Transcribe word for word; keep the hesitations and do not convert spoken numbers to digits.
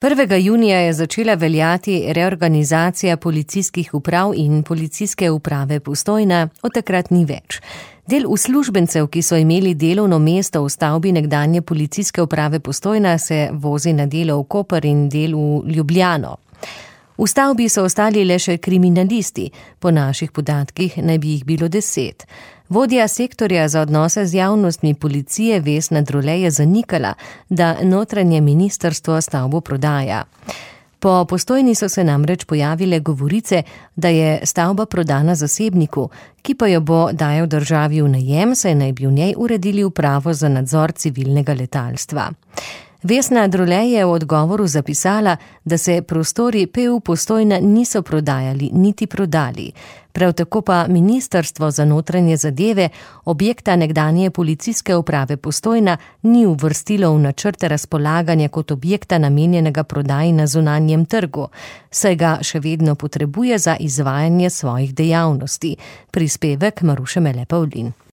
prvega junija je začela veljati reorganizacija policijskih uprav in policijske uprave Postojna, od takrat ni več. Del uslužbencev, ki so imeli delovno mesto v stavbi nekdanje policijske uprave Postojna, se vozi na delo v Koper in del v Ljubljano. V stavbi so ostali le še kriminalisti, po naših podatkih naj bi jih bilo deset. Vodja sektorja za odnose z javnostmi policije Vesna Drole je zanikala, da notranje ministrstvo stavbo prodaja. Po Postojni so se namreč pojavile govorice, da je stavba prodana zasebniku, ki pa jo bo dajal državi v najem, saj naj bi v njej uredili upravo za nadzor civilnega letalstva. Vesna Drole je v odgovoru zapisala, da se prostori P U Postojna niso prodajali niti prodali. Prav tako pa Ministrstvo za notranje zadeve objekta nekdanje policijske uprave Postojna ni uvrstilo v načrte razpolaganja kot objekta namenjenega prodaji na zunanjem trgu, saj ga še vedno potrebuje za izvajanje svojih dejavnosti. Prispevek Maruše Mele Pavlin.